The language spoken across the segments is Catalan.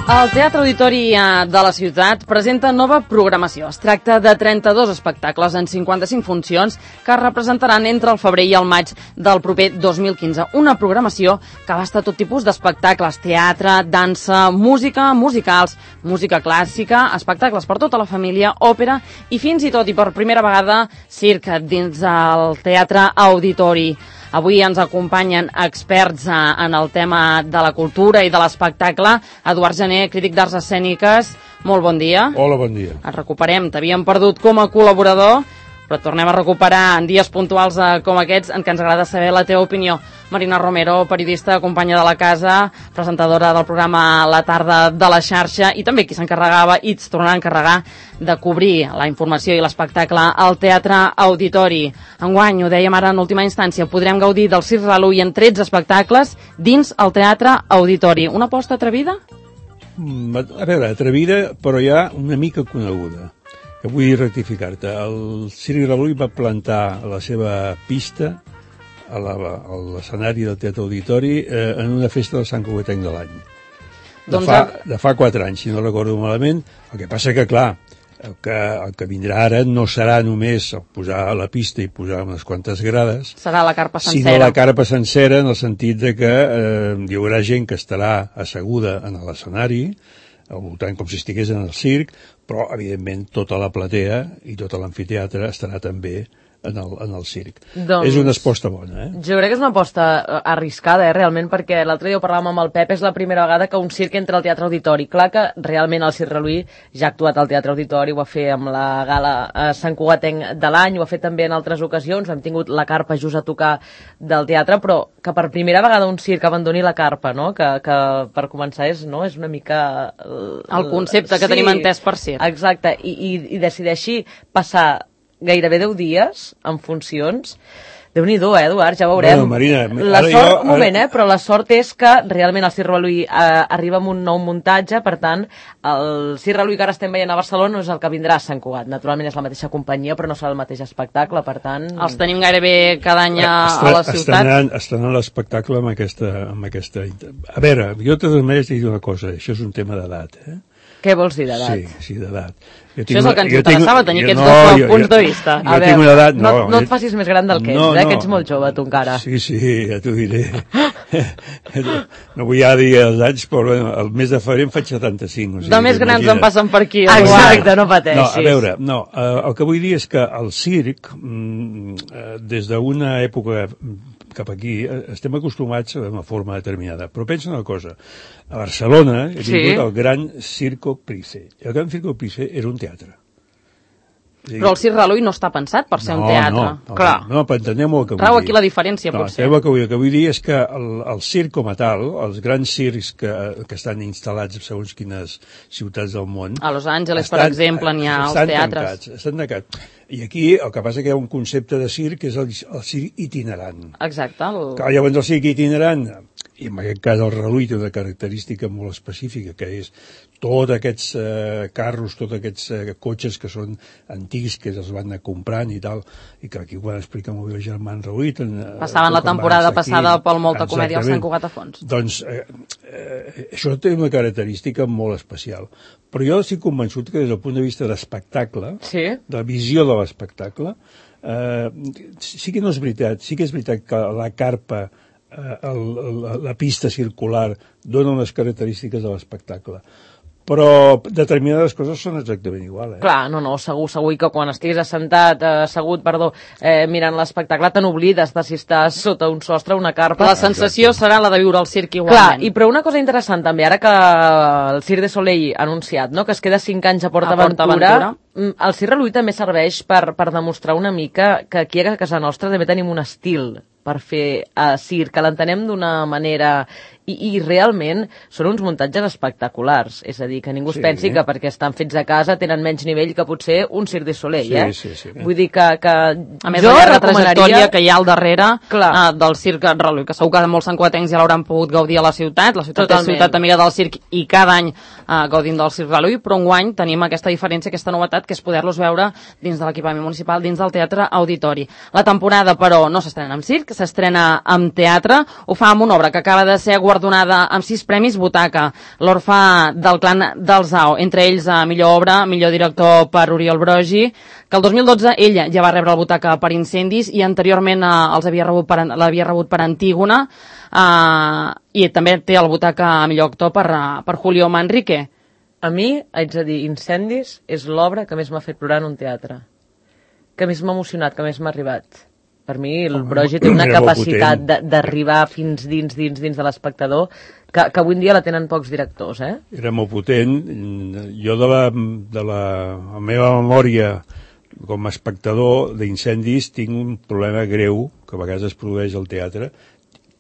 El Teatre Auditori de la ciutat presenta nova programació. Es tracta de 32 espectacles en 55 funcions que es representaran entre el febrer i el maig del proper 2015. Una programació que abasta tot tipus d'espectacles, teatre, dansa, música, musicals, música clàssica, espectacles per tota la família, òpera i fins i tot, i per primera vegada, circ dins del Teatre Auditori. Avui ens acompanyen experts en el tema de la cultura i de l'espectacle. Eduard Gené, crític d'arts escèniques, molt bon dia. Hola, bon dia. Et recuperem, t'havíem perdut com a col·laborador, però et tornem a recuperar en dies puntuals com aquests en què ens agrada saber la teva opinió. Marina Romero, periodista, companya de la casa, presentadora del programa La Tarda de la Xarxa i també qui s'encarregava i es tornarà a encarregar de cobrir la informació i l'espectacle al Teatre Auditori. Enguany, ho dèiem ara en última instància, podrem gaudir del Circ Relull en 13 espectacles dins el Teatre Auditori. Una aposta atrevida? A veure, atrevida, però ja una mica coneguda. Que vull rectificar-te. El Circ Relull va plantar la seva pista a l'escenari del Teatre Auditori en una festa del Sant Cugatenc de l'any. De fa 4 anys, si no recordo malament. El que passa que, clar, el que vindrà ara no serà només posar la pista i posar unes quantes grades. Serà la carpa sencera. Sinó la carpa sencera en el sentit de que hi haurà gent que estarà asseguda en l'escenari, al voltant com si estigués en el circ, però, evidentment, tota la platea i tot l'amfiteatre estarà també en el circ. Doncs, és una aposta bona, Jo crec que és una aposta arriscada, realment, perquè l'altre dia ho parlàvem amb el Pep, és la primera vegada que un circ entra al Teatre Auditori. Clar que realment el Circ Relull ja ha actuat al Teatre Auditori, ho va fer amb la gala Sant Cugatenc de l'any, ho ha fet també en altres ocasions, hem tingut la carpa just a tocar del teatre, però que per primera vegada un circ abandoni la carpa, no? Que per començar és una mica... El concepte que tenim entès per circ. Exacte, i decideixi passar gairebé 10 dies en funcions. Déu-n'hi-do, Eduard, ja veurem. Bueno, Marina, la sort, però la sort és que realment el Circ Relull arriba amb un nou muntatge, per tant, el Circ Relull que ara estem veient a Barcelona no és el que vindrà a Sant Cugat. Naturalment és la mateixa companyia, però no serà el mateix espectacle, per tant... Els tenim gairebé cada any a la ciutat. Estrenant l'espectacle amb aquesta... A veure, jo de totes maneres dic una cosa, això és un tema d'edat, Què vols dir d'edat? Sí, d'edat. Això és el que ens interessava, tenir aquests dos punts de vista. Jo tinc una edat... No et facis més gran del que ets, que ets molt jove, tu encara. Sí, ja t'ho diré. No vull ja dir els anys, però el mes de febrer em faig 75. De més grans em passen per aquí. Exacte, no pateixis. A veure, el que vull dir és que el circ, des d'una època cap aquí, estem acostumats a una forma determinada. Però pensa una cosa, a Barcelona he tingut el Gran Circo Price. El Gran Circo Price era un teatre. Però el Circ Relull no està pensat per ser un teatre. No, però entenem el que vull dir. Trau aquí la diferència, potser. El que vull dir és que el circ com a tal, els grans circs que estan instal·lats segons quines ciutats del món... A Los Angeles, per exemple, n'hi ha els teatres. Estan tancats. I aquí el que passa que hi ha un concepte de circ que és el circ itinerant. Exacte. Llavors el circ itinerant, i en aquest cas el Relull té una característica molt específica, que és tots aquests carros, tots aquests cotxes que són antics, que els van anar comprant i tal, i que aquí ho van explicar molt bé el Germán Relull. Passaven la temporada passada pel Molta Comèdia al Sant Cugat a Fons. Doncs això té una característica molt especial. Però jo estic convençut que des del punt de vista d'espectacle, de la visió de l'espectacle, sí que no és veritat, sí que és veritat que la carpa, la pista circular, dona unes característiques de l'espectacle. Però determinades coses són exactament igual. Clar, segur, i que quan estiguis assegut, mirant l'espectacle, te n'oblides de si estàs sota un sostre, una carpa. La sensació serà la de viure al circ igualment. Clar, però una cosa interessant també, ara que el Cirque du Soleil ha anunciat que es queda 5 anys a PortAventura, el Circ Relull també serveix per demostrar una mica que aquí a casa nostra també tenim un estil per fer circ, que l'entenem d'una manera... I realment són uns muntatges espectaculars, és a dir, que ningú es pensi que perquè estan fets a casa tenen menys nivell que potser un Cirque du Soleil, Sí. Vull dir que a més, la trajectòria que hi ha al darrere del Circ Relull, que segur que molts santcugatencs ja l'hauran pogut gaudir a la ciutat és ciutat amiga del circ i cada any gaudint del Circ Relull, però enguany tenim aquesta diferència, aquesta novetat, que és poder-los veure dins de l'equipament municipal, dins del Teatre Auditori. La temporada, però, no s'estrena amb circ, s'estrena amb teatre, ho fa amb una obra que acaba de ser guardonada amb 6 premis Butaca, l'Orfe del clan del Zao, entre ells millor obra, millor director per Oriol Brogi, que el 2012 ella ja va rebre el Butaca per Incendis i anteriorment l'havia rebut per Antígona, i també té el Butaca a millor actor per Julio Manrique. A mi, haig de dir, Incendis és l'obra que més m'ha fet plorar en un teatre, que més m'ha emocionat, que més m'ha arribat. Per mi, el Brogi té una capacitat d'arribar fins dins de l'espectador que avui en dia la tenen pocs directors, eh? Era molt potent. Jo de la meva memòria com a espectador d'Incendis tinc un problema greu que a vegades es produeix al teatre,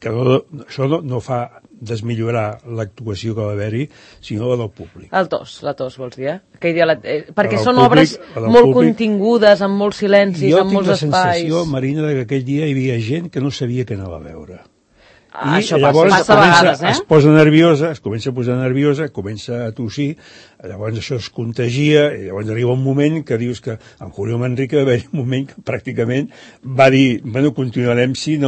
que això no fa desmillorar l'actuació que va haver-hi, sinó la del públic. La tos, vols dir, eh? Perquè són obres molt contingudes, amb molts silencis, amb molts espais. Jo tinc la sensació, Marina, que aquell dia hi havia gent que no sabia què anava a veure. Això llavors passa a vegades, es posa nerviosa, es comença a posar nerviosa, comença a tossir, llavors això es contagia, i llavors arriba un moment que dius que en Julio Manrique va haver un moment que pràcticament va dir, bueno, continuarem si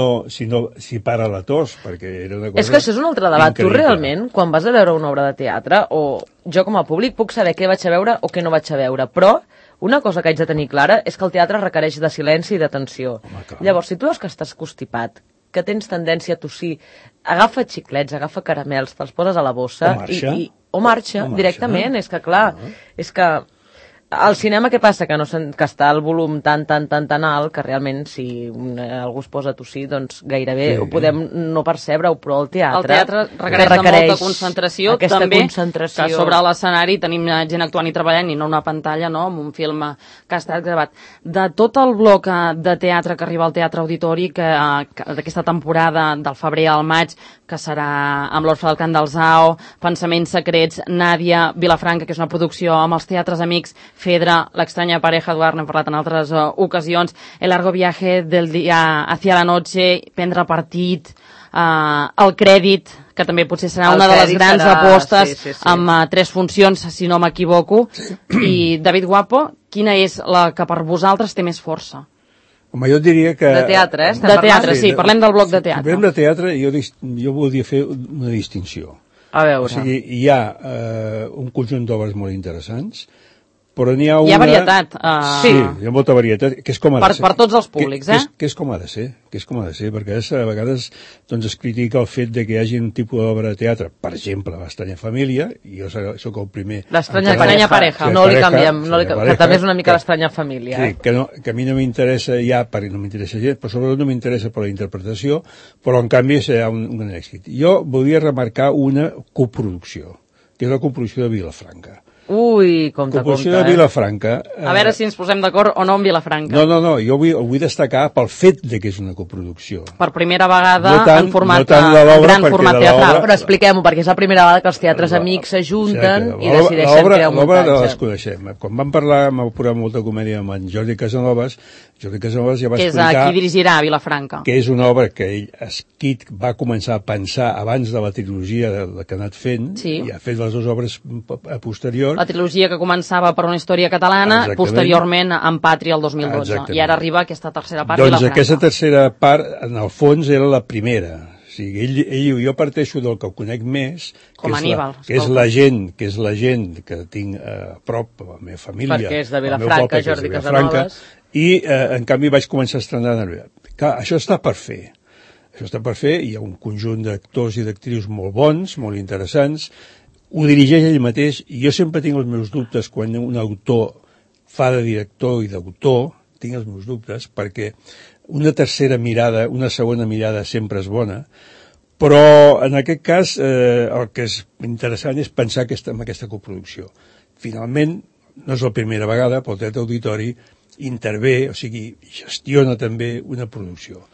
para la tos, perquè era una cosa... És que això és un altre debat. Tu realment, quan vas a veure una obra de teatre, o jo com a públic puc saber què vaig a veure o què no vaig a veure, però una cosa que haig de tenir clara és que el teatre requereix de silenci i d'atenció. Llavors, si tu veus que estàs constipat, que tens tendència a tossir, agafa xiclets, agafa caramels, te'ls poses a la bossa o marxa directament. És que, clar, és que al cinema què passa? Que està el volum tan alt que realment si algú es posa a tossir, doncs gairebé ho podem no percebre, però el teatre requereix molta concentració, també concentració. Que sobre l'escenari tenim gent actuant i treballant i no una pantalla, no?, amb un film que ha estat gravat. De tot el bloc de teatre que arriba al Teatre Auditori d'aquesta temporada del febrer al maig, que serà amb l'Orfe del Clan del Zao, Pensaments secrets, Nàdia, Vilafranca, que és una producció amb els teatres amics, Fedra, L'extraña pareja, Eduard, n'hem parlat en altres ocasions, El largo viaje del día hacia la noche, Prendre partit, El crèdit, que també potser serà una de les grans apostes, amb 3 funcions, si no m'equivoco. I, David Guapo, quina és la que per vosaltres té més força? Home, jo diria que... De teatre, De teatre, sí, parlem del bloc de teatre. Si parlem de teatre, jo voldria fer una distinció. A veure. O sigui, hi ha un conjunt d'obres molt interessants, però n'hi ha una... Hi ha varietat. Sí, hi ha molta varietat, que és com ha de ser. Per tots els públics, Que és com ha de ser, perquè a vegades doncs, es critica el fet de que hi hagi un tipus d'obra de teatre, per exemple, l'Estranya família, i jo soc el primer... L'Estranya pareja, no li canviem, que també és una mica l'Estranya família. Sí, que a mi no m'interessa ja, perquè no m'interessa gens, però sobretot no m'interessa per la interpretació, però en canvi serà un èxit. Jo volia remarcar una coproducció, que és la coproducció de Vilafranca. Ui, compte. Coproducció de Vilafranca. A veure si ens posem d'acord o no amb Vilafranca. No, jo ho vull destacar pel fet de que és una coproducció. Per primera vegada en format gran format teatral. Però expliquem-ho, perquè és la primera vegada que els teatres amics s'ajunten i decideixen crear un muntatge. L'obra les coneixem. Quan vam parlar amb el programa Molta Comèdia amb en Jordi Casanovas ja va explicar... Que és qui dirigirà a Vilafranca. Que és una obra que ell va començar a pensar abans de la trilogia que ha anat fent, i ha fet les dues obres posteriors. La trilogia que començava per una història catalana, posteriorment amb Pàtria el 2012. I ara arriba aquesta tercera part. Doncs aquesta tercera part, en el fons, era la primera. O sigui, jo parteixo del que conec més, que és la gent que tinc a prop, la meva família, perquè és de Vilafranca, Jordi Casanovas, i en canvi vaig començar a estrenar. Clar, això està per fer. Hi ha un conjunt d'actors i d'actrius molt bons, molt interessants, ho dirigeix ell mateix, i jo sempre tinc els meus dubtes quan un autor fa de director i d'autor, tinc els meus dubtes, perquè una tercera mirada, una segona mirada sempre és bona, però en aquest cas el que és interessant és pensar en aquesta coproducció. Finalment, no és la primera vegada, però el Teatre Auditori intervé, o sigui, gestiona també una producció,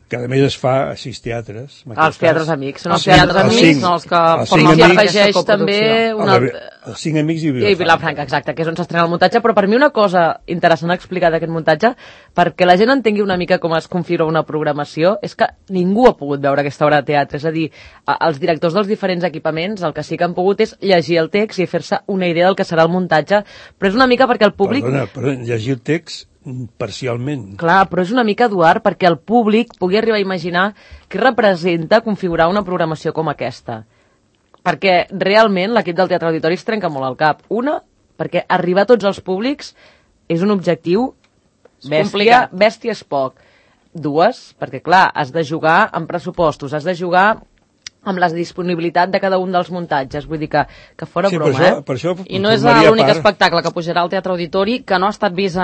que a més es fa a 6 teatres. Els teatres amics. Són els teatres amics, són els que formen part d'aquesta coproducció. Els 5 amics i Vilafranca, exacte, que és on s'estrena el muntatge, però per mi una cosa interessant a explicar d'aquest muntatge, perquè la gent entengui una mica com es configura una programació, és que ningú ha pogut veure aquesta obra de teatre, és a dir, els directors dels diferents equipaments el que sí que han pogut és llegir el text i fer-se una idea del que serà el muntatge, però és una mica perquè el públic... Perdona, llegir el text parcialment. Clar, però és una mica, Eduard, perquè el públic pugui arribar a imaginar què representa configurar una programació com aquesta. Perquè realment l'equip del Teatre Auditori es trenca molt al cap. Una, perquè arribar a tots els públics és un objectiu bèstia és poc. Dues, perquè clar, has de jugar amb pressupostos, has de jugar amb la disponibilitat de cada un dels muntatges, vull dir que fora broma, per això I no és l'únic espectacle que pujarà al Teatre Auditori que no ha estat vist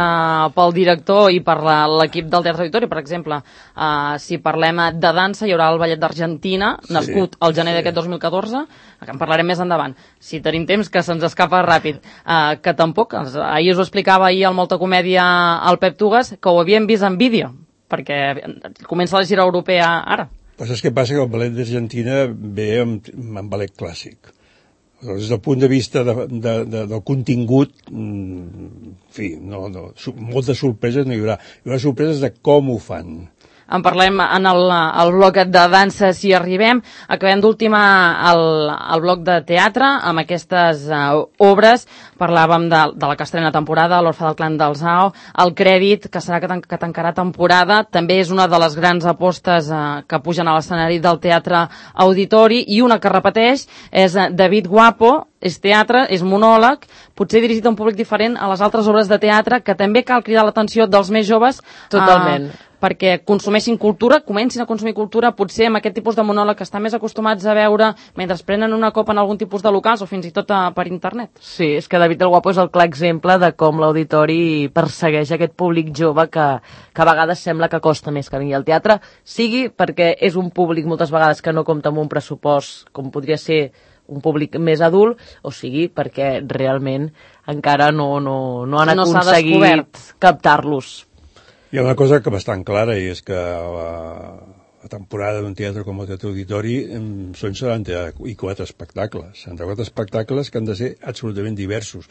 pel director i per l'equip del Teatre Auditori. Per exemple, si parlem de dansa, hi haurà el Ballet d'Argentina, nascut al gener d'aquest 2014, que en parlarem més endavant. Si tenim temps, que se'ns escapa ràpid. Que tampoc, ahir us ho explicava ahir al Molta Comèdia el Pep Tugas, que ho havíem vist en vídeo, perquè comença la gira europea ara. Però saps què passa? Que el ballet d'Argentina ve amb ballet clàssic. Des del punt de vista del contingut, en fi, moltes sorpreses no hi haurà. Hi haurà sorpreses de com ho fan. En parlem en el bloc de dansa si arribem. Acabem d'ultimar el bloc de teatre amb aquestes obres. Parlàvem de la que estrena temporada, l'Orfe del Clan del Zao, el Crèdit, que serà que tancarà temporada. També és una de les grans apostes que pugen a l'escenari del Teatre Auditori, i una que repeteix és David Guapo. És teatre, és monòleg, potser dirigit a un públic diferent a les altres obres de teatre, que també cal cridar l'atenció dels més joves. Totalment. Perquè consumeixin cultura, comencin a consumir cultura, potser amb aquest tipus de monòleg que estan més acostumats a veure mentre prenen una copa en algun tipus de locals o fins i tot per internet. Sí, és que David el Guapo és el clar exemple de com l'auditori persegueix aquest públic jove que a vegades sembla que costa més que vingui al teatre, sigui perquè és un públic moltes vegades que no compta amb un pressupost com podria ser un públic més adult, o sigui perquè realment encara no han aconseguit captar-los. Hi ha una cosa que bastant clara, i és que la temporada d'un teatre com el Teatre Auditori són 74 espectacles. 74 espectacles que han de ser absolutament diversos.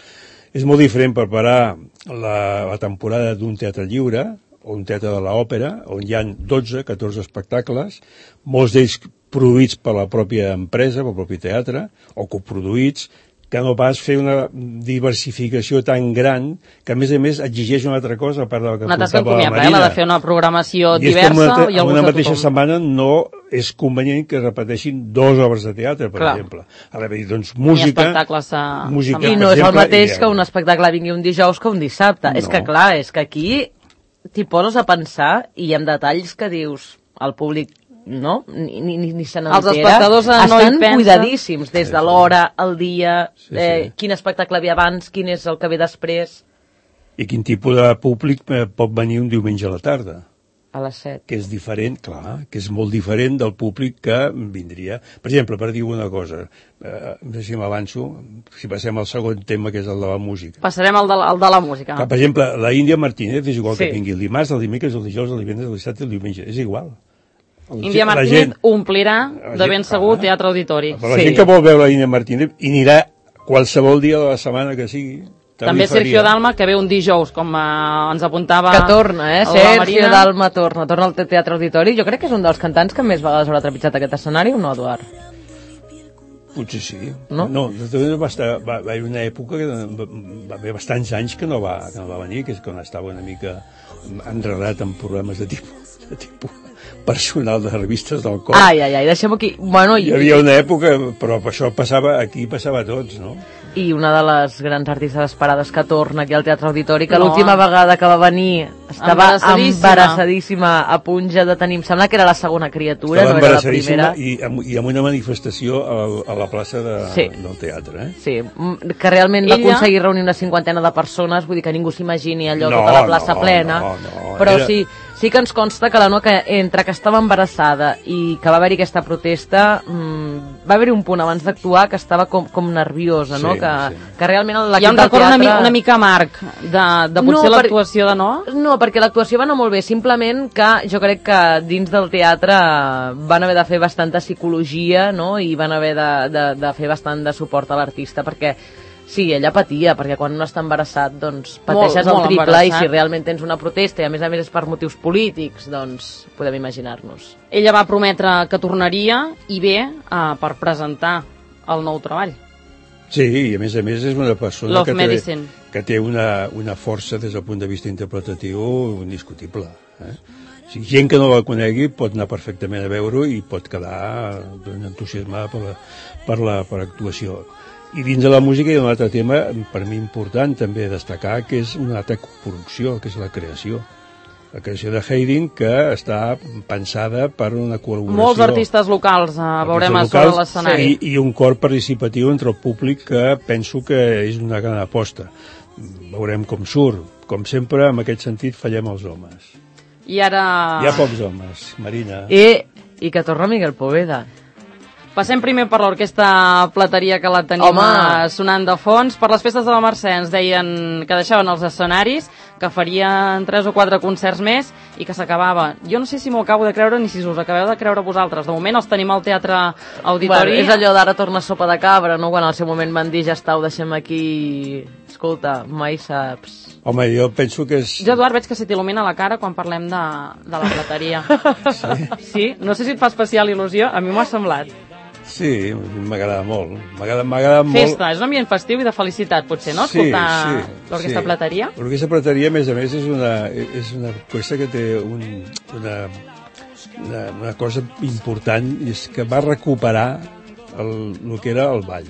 És molt diferent preparar la temporada d'un teatre lliure o un teatre de l'òpera, on hi ha 12, 14 espectacles, molts d'ells produïts per la pròpia empresa, pel propi teatre, o coproduïts, que no pas fer una diversificació tan gran que, a més, exigeix una altra cosa, a part de la que portava la Marina. La de fer una programació diversa i una mateixa setmana no és convenient que repeteixin 2 obres de teatre, per exemple. Ara, doncs, música... I no és el mateix que un espectacle vingui un dijous que un dissabte. És que, clar, és que aquí t'hi poses a pensar i hi ha detalls que dius al públic, no? Ni se n'entera. Els espectadors estan cuidadíssims, des de l'hora, el dia, quin espectacle havia abans, quin és el que ve després. I quin tipus de públic pot venir un diumenge a la tarda? A les 7. Que és diferent, clar, que és molt diferent del públic que vindria. Per exemple, per dir una cosa, no sé si m'avanço, si passem al segon tema, que és el de la música. Passarem al de la música. Per exemple, la Índia Martínez és igual que vingui el dimarts, el dimecres, el dijous, el divendres, el dissabte i el diumenge. És igual. Índia Martínez omplirà de ben segur Teatre Auditori. Però la gent que vol veure la Índia Martínez i anirà qualsevol dia de la setmana que sigui. També Sergio Dalma, que ve un dijous, com ens apuntava... Que torna, Sergio Dalma torna al Teatre Auditori. Jo crec que és un dels cantants que més vegades haurà trepitjat aquest escenari, o no, Eduard? Potser sí. No, va haver una època que va haver bastants anys que no va venir, que és quan estava una mica enredat en problemes de tipus personal de revistes del cor. Ai, deixem-ho aquí. Hi havia una època, però això passava a tots, no? I una de les grans artistes esperades que torna aquí al Teatre Auditori, que l'última vegada que va venir estava embarassadíssima, a punt ja de tenir... Em sembla que era la segona criatura, no era la primera. I amb una manifestació a la plaça del teatre, Sí, que realment va aconseguir reunir una 50ena de persones, vull dir que ningú s'imagini allò tota la plaça plena, però sí que ens consta que la Noa, que entre que estava embarassada i que va haver-hi aquesta protesta, va haver-hi un punt abans d'actuar que estava com nerviosa, no? Que realment hi ha un record una mica amarg de potser l'actuació de Noa? No, perquè l'actuació va anar molt bé, simplement que jo crec que dins del teatre van haver de fer bastanta psicologia, no? I van haver de fer bastant de suport a l'artista, perquè sí, ella patia, perquè quan un està embarassat, doncs pateixes el triple, i si realment tens una protesta, i a més és per motius polítics, doncs podem imaginar-nos. Ella va prometre que tornaria, i bé, per presentar el nou treball. Sí, i a més és una persona que té una força des del punt de vista interpretatiu indiscutible. O sigui, gent que no la conegui pot anar perfectament a veure-ho i pot quedar entusiasmada per l'actuació. I dins de la música hi ha un altre tema, per mi important també destacar, que és una altra producció, que és la creació. La creació de Haydn, que està pensada per una col·laboració. Molts artistes locals veurem sobre l'escenari. I un cor participatiu entre el públic que penso que és una gran aposta. Veurem com surt. Com sempre, en aquest sentit, fallem els homes. I ara... Hi ha pocs homes, Marina. I que torna Miguel Poveda. Passem primer per l'orquestra Plateria, que la tenim sonant de fons. Per les festes de la Mercè ens deien que deixaven els escenaris, que farien 3 o 4 concerts més i que s'acabava. Jo no sé si m'ho acabo de creure ni si us acabeu de creure vosaltres. De moment els tenim al Teatre Auditori. Bueno, és allò d'ara torna sopa de cabra, no? Quan al seu moment van dir ja està, ho deixem aquí... Escolta, mai saps... Home, jo penso que és... Jo, Eduard, veig que se t'il·lumina la cara quan parlem de la Plateria. Sí? No sé si et fa especial il·lusió, a mi m'ho ha semblat. Sí, m'agrada molt. M'agrada molt... Festa, és un ambient festiu i de felicitat, potser, no? Escoltar l'Orquestra Plateria. L'Orquestra Plateria, a més, és una orquestra que té una cosa important, i és que va recuperar el que era el ball.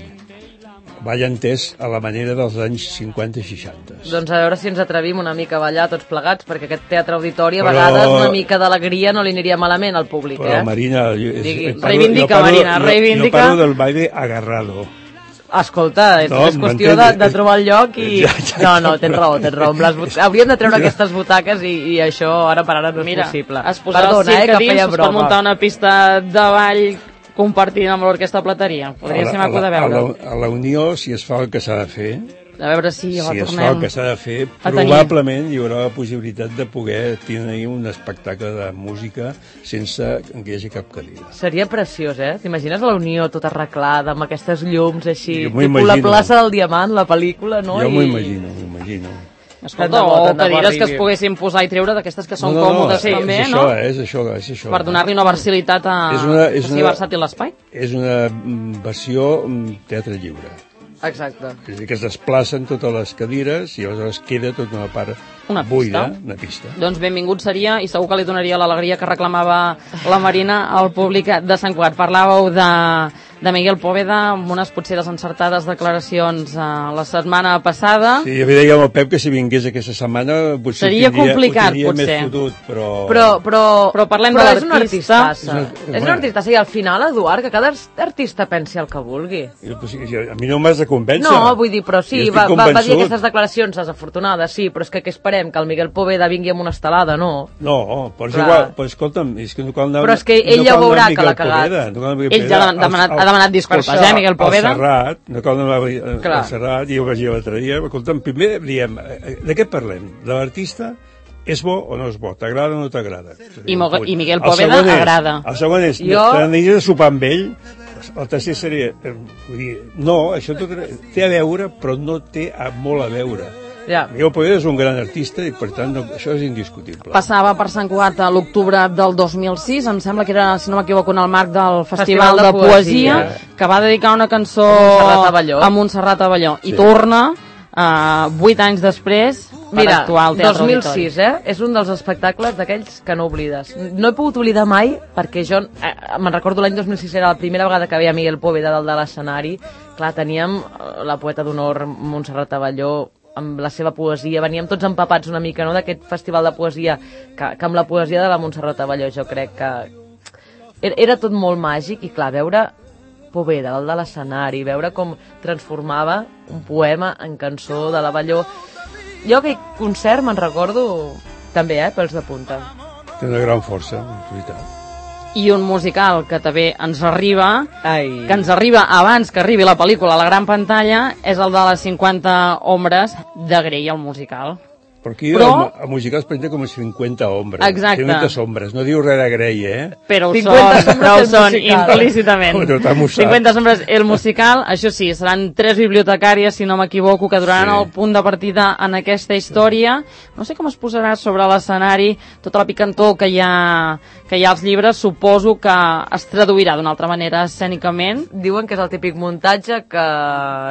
Ball entès a la manera dels anys 50 i 60. Doncs a veure si ens atrevim una mica a ballar tots plegats, perquè aquest Teatre Auditori a vegades una mica d'alegria no li aniria malament al públic, Però, Marina... Reivindica, Marina, reivindica. Jo parlo del baile agarrado. Escolta, és qüestió de trobar el lloc i... No, tens raó. Hauríem de treure aquestes butaques i això ara per ara no és possible. Es posarà el circ a dins, es pot muntar una pista de ball compartint amb l'Orquestra Plateria. Podria ser maco de veure. A la Unió, si es fa el que s'ha de fer, a veure si la tornem. Si es fa el que s'ha de fer, probablement hi haurà la possibilitat de poder tenir un espectacle de música sense que hi hagi cap cadira. Seria preciós, T'imagines la Unió tota arreglada, amb aquestes llums així, tipus la plaça del Diamant, la pel·lícula, no? Jo m'ho imagino. Escolta, o cadires que es poguessin posar i treure d'aquestes que són còmodes també, no? És això. Per donar-li una versatilitat que sigui versàtil l'espai. És una versió teatre lliure. Exacte. És a dir, que es desplacen totes les cadires i aleshores queda tota una part buida, una pista. Doncs benvingut seria, i segur que li donaria l'alegria que reclamava la Marina al públic de Sant Cugat. Parlàveu de Miguel Poveda amb unes potser desencertades declaracions la setmana passada. Sí, jo deia al Pep que si vingués aquesta setmana potser seria complicat, potser. Més fotut, però parlem de l'artista. És un artista, i al final, Eduard, que cada artista pensi el que vulgui. A mi no m'has de convèncer. No, vull dir, però sí, va dir aquestes declaracions desafortunades, sí, però és que què esperem? Que el Miguel Poveda vingui amb una estelada, no? No, però és igual, però escolta'm, és que no cal anar... Però és que ell ja veurà que l'ha cagat. Ell ja ha demanat disculpes, Miguel Poveda? Al Serrat, no cal anar al Serrat, i ho vaig dir l'altre dia, escolta'm, primer diem, de què parlem? De l'artista? És bo o no és bo? T'agrada o no t'agrada? I Miguel Poveda agrada. El segon és, t'aniries a sopar amb ell? El tercer seria, no, això tot té a veure, però no té molt a veure. Miguel Poveda és un gran artista i, per tant, això és indiscutible. Passava per Sant Cugat a l'octubre del 2006, em sembla que era, si no m'equivoco, en el marc del Festival de Poesia, que va dedicar una cançó a Montserrat Abelló. I torna, 8 anys després, per actuar al Teatre Auditori. 2006, és un dels espectacles d'aquells que no oblides. No he pogut oblidar mai, perquè jo me'n recordo l'any 2006, era la primera vegada que veia Miguel Poveda dalt de l'escenari. Clar, teníem la poeta d'honor Montserrat Abelló, amb la seva poesia, veníem tots empapats una mica, no?, d'aquest festival de poesia, que amb la poesia de la Montserrat Abelló jo crec que era tot molt màgic, i clar, veure Poveda dalt de l'escenari, veure com transformava un poema en cançó de l'Abelló. Jo aquell concert me'n recordo també, pels de punta. Té una gran força, en veritat. I un musical que també ens arriba, que ens arriba abans que arribi la pel·lícula a la gran pantalla, és el de les 50 ombres de Grey, el musical. Però aquí el musical es presenta com 50 ombres. Exacte. 50 sombres. No diu res de Grey, Però ho 50 són, però ho són musical. implícitament. Oh, tothom ho sap. 50 sombres. El musical, això sí, seran 3 bibliotecàries, si no m'equivoco, que duraran el punt de partida en aquesta història. No sé com es posarà sobre l'escenari tota la picantor que hi ha als llibres. Suposo que es traduirà d'una altra manera escènicament. Diuen que és el típic muntatge que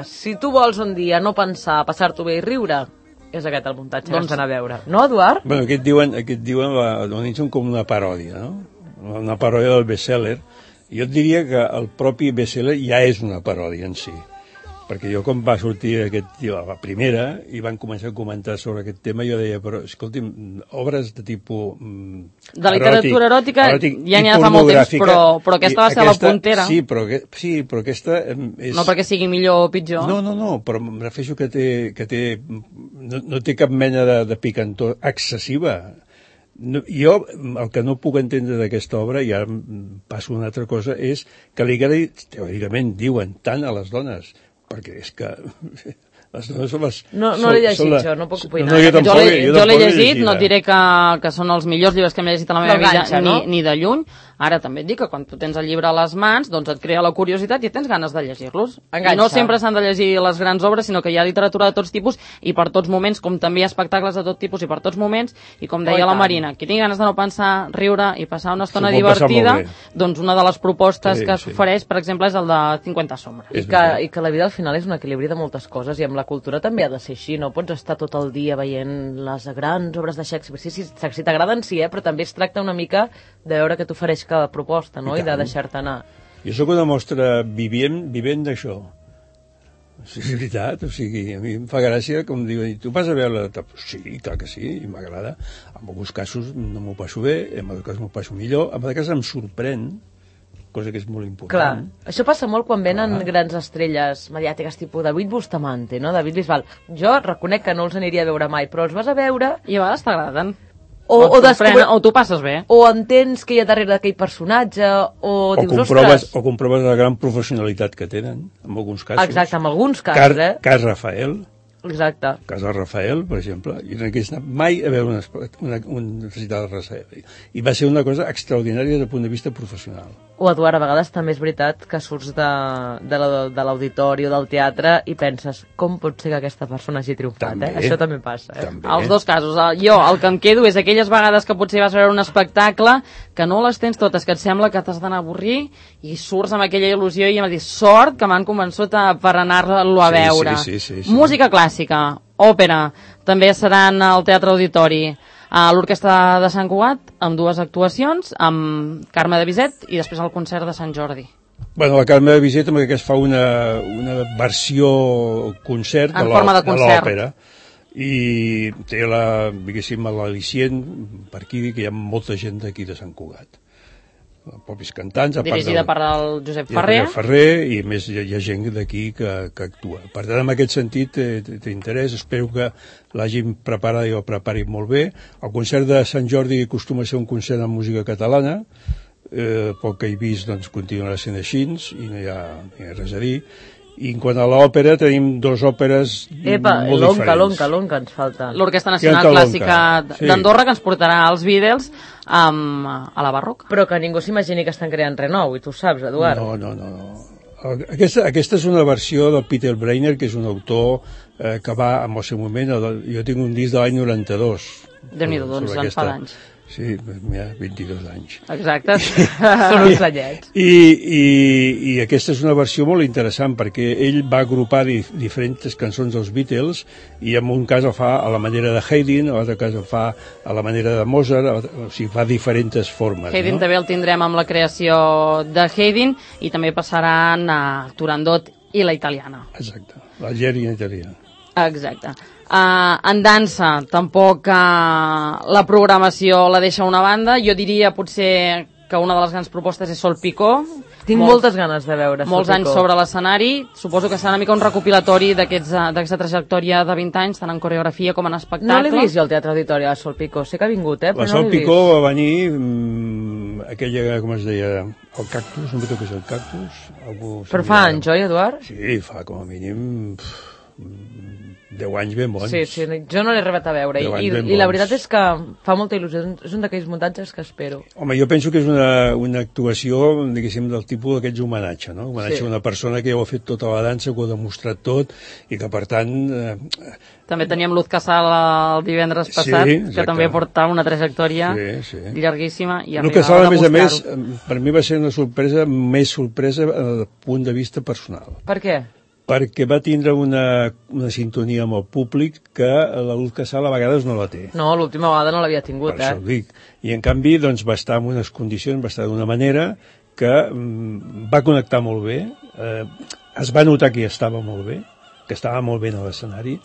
si tu vols un dia no pensar, passar-t'ho bé i riure, és aquest el muntatge que has d'anar a veure. No, Eduard? Bueno, aquest diuen com una paròdia, no? Una paròdia del best-seller. Jo et diria que el propi best-seller ja és una paròdia en si. Perquè jo, quan va sortir la primera, i van començar a comentar sobre aquest tema, jo deia, però, escolti'm, obres de tipus... de literatura eròtica ja n'hi ha fa molt temps, però aquesta va ser la puntera. Sí, però aquesta és... No perquè sigui millor o pitjor. No, però em refereixo que no té cap mena de picantor excessiva. Jo, el que no puc entendre d'aquesta obra, i ara passo a una altra cosa, és que li agradi, teòricament, diuen tant a les dones, perquè és que les dones són les... No l'he llegit, jo, no puc opinar. Jo l'he llegit, no et diré que són els millors llibres que m'he llegit a la meva vida, ni de lluny. Ara també et dic que quan tu tens el llibre a les mans, doncs et crea la curiositat i tens ganes de llegir-los. I no sempre s'han de llegir les grans obres, sinó que hi ha literatura de tots tipus i per tots moments, com també hi ha espectacles de tot tipus i per tots moments, i com deia la Marina, qui tingui ganes de no pensar, riure i passar una estona divertida, doncs una de les propostes que s'ofereix, per exemple, és el de 50 sombres. I que la vida al final és un equilibri de moltes coses i amb la cultura també ha de ser així, no pots estar tot el dia veient les grans obres de Shakespeare. Sí, si t'agraden sí, però també es tracta una mica de veure què t'ofereix cada proposta, no? I de deixar-te anar. Jo sóc una mostra vivent d'això. Sí, és veritat, o sigui, a mi em fa gràcia, com diuen, tu vas a veure... Sí, clar que sí, i m'agrada. En alguns casos no m'ho passo bé, en altres casos m'ho passo millor, en altres casos em sorprèn, cosa que és molt important. Clar, això passa molt quan venen grans estrelles mediàtiques, tipus David Bustamante, no? David Bisbal. Jo reconec que no els aniria a veure mai, però els vas a veure... I a vegades t'agraden. O tu passes bé. O entens que hi ha darrere d'aquell personatge, o dius, ostres... O comproves la gran professionalitat que tenen, en alguns casos. Exacte, en alguns casos, Cas Rafael. Exacte. Casa Rafael, per exemple, jo no he anat mai a veure un recital de Rafael. I va ser una cosa extraordinària des del punt de vista professional. O, Eduard, a vegades també és veritat que surts de l'auditori o del teatre i penses, com pot ser que aquesta persona hagi triomfat, també, Això també passa, També. Els dos casos. Jo, el que em quedo és aquelles vegades que potser vas a veure un espectacle que no les tens totes, que et sembla que t'has d'anar a avorrir i surts amb aquella il·lusió i em dius, sort que m'han convençut per anar-lo a veure. Sí. Música clàssica, òpera, també seran al Teatre Auditori, a l'Orquestra de Sant Cugat, amb 2 actuacions, amb Carme de Bizet i després el concert de Sant Jordi. Bueno, la Carme de Bizet que es fa una versió concert de l'òpera i té l'al·licient per aquí, que hi ha molta gent d'aquí de Sant Cugat, propis cantants, dirigida per el Josep Ferrer, i més hi ha gent d'aquí que actua. Per tant, en aquest sentit té interès, espero que l'hagin preparat i ho preparin molt bé. El concert de Sant Jordi acostuma a ser un concert de música catalana, pel que he vist doncs continuarà sent així i no hi ha res a dir. I en quant a l'òpera, tenim 2 òperes molt diferents. L'Onca ens falta. L'Orquestra Nacional Clàssica d'Andorra, que ens portarà als Beatles a la barroca. Però que ningú s'imagini que estan creant res nou, i tu ho saps, Eduard. No. Aquesta és una versió del Peter Brainer, que és un autor que va, en el seu moment, jo tinc un disc de l'any 92. Déu-n'hi-do, doncs en fa d'anys. Sí, mira, 22 anys. Exacte. Són uns anyets. I aquesta és una versió molt interessant perquè ell va agrupar diferents cançons dels Beatles i en un cas el fa a la manera de Haydn, en l'altre cas el fa a la manera de Mozart, o sigui, fa diferents formes. Haydn també el tindrem amb la creació de Haydn i també passaran a Turandot i la italiana. Exacte, l'Algeri italiana. Exacte. En dansa, tampoc la programació la deixa a una banda. Jo diria potser que una de les grans propostes és Sol Picó. Tinc moltes ganes de veure Sol Picó. Molts anys sobre l'escenari. Suposo que serà una mica un recopilatori d'aquesta trajectòria de 20 anys, tant en coreografia com en espectacle. No l'he vist jo al Teatre Auditori, la Sol Picó. Sé que ha vingut, però la Sol Picó va venir aquella, com es deia, el cactus, no sé què és el cactus. Però fa anys, oi, Eduard? Sí, fa com a mínim 10 anys ben bons. Sí, jo no l'he arribat a veure i la veritat és que fa molta il·lusió, és un d'aquells muntatges que espero. Home, jo penso que és una actuació, diguéssim, del tipus d'aquests homenatge, no? Homenatge a una persona que ja ho ha fet tota la dansa, que ho ha demostrat tot i que, per tant... També teníem Luz Casal el divendres passat, que també portava una trajectòria llarguíssima. Luz Casal, a més, per mi va ser una sorpresa, més sorpresa del punt de vista personal. Per què? Perquè va tindre una sintonia amb el públic que la Luz Casal a vegades no la té. No, l'última vegada no l'havia tingut, per això ho dic. I en canvi doncs, va estar en unes condicions, va estar d'una manera que va connectar molt bé, es va notar que hi estava molt bé, que estava molt bé a l'escenari.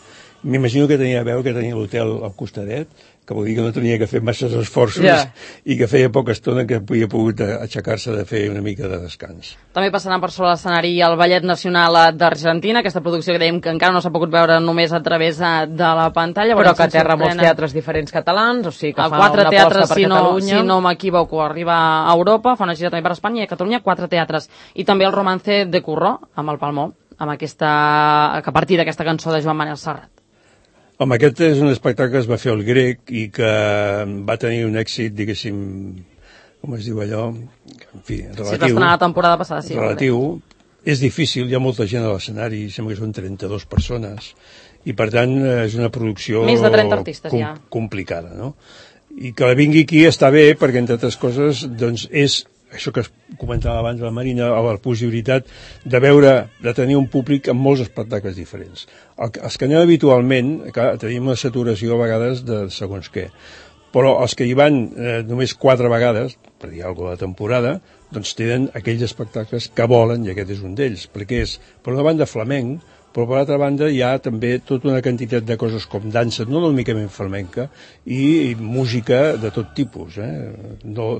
M'imagino que tenia a veure que tenia l'hotel al costadet, que vol dir que no tenia que fer masses esforços i que feia poca estona que havia pogut aixecar-se de fer una mica de descans. També passaran per sobre l'escenari el Ballet Nacional d'Argentina, aquesta producció que dèiem que encara no s'ha pogut veure només a través de la pantalla. Però que aterra molts teatres diferents catalans, o sigui que fa una aposta per Catalunya. Si no m'equivoco, arriba a Europa, fa una gira també per Espanya i a Catalunya, 4 teatres. I també el Romance de Curró, amb el Palmó, que a partir d'aquesta cançó de Joan Manel Serrat. Home, aquest és un espectacle que es va fer al Grec i que va tenir un èxit, diguéssim, com es diu allò, en fi, relatiu. Sí, va estrenar la temporada passada, sí. Relatiu. És difícil, hi ha molta gent a l'escenari, sembla que són 32 persones, i per tant és una producció més de 30 artistes, complicada, no? I que la vingui aquí està bé, perquè entre altres coses, doncs és això que comentava abans la Marina, la possibilitat de tenir un públic amb molts espectacles diferents. Els que anem habitualment, clar, tenim una saturació a vegades de segons què, però els que hi van només 4 vegades, per dir alguna cosa de temporada, doncs tenen aquells espectacles que volen, i aquest és un d'ells, perquè és, per una banda, flamenc, però per l'altra banda hi ha també tota una quantitat de coses com dansa, no únicament flamenca, i música de tot tipus, no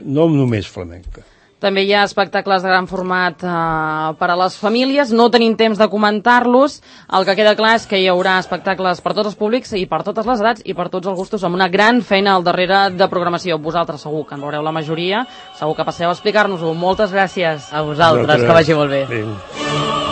només flamenca. També hi ha espectacles de gran format per a les famílies, no tenim temps de comentar-los, el que queda clar és que hi haurà espectacles per tots els públics i per totes les edats i per tots els gustos, amb una gran feina al darrere de programació. Vosaltres segur que en veureu la majoria, segur que passeu a explicar-nos-ho. Moltes gràcies. A vosaltres, que vagi molt bé. Adéu.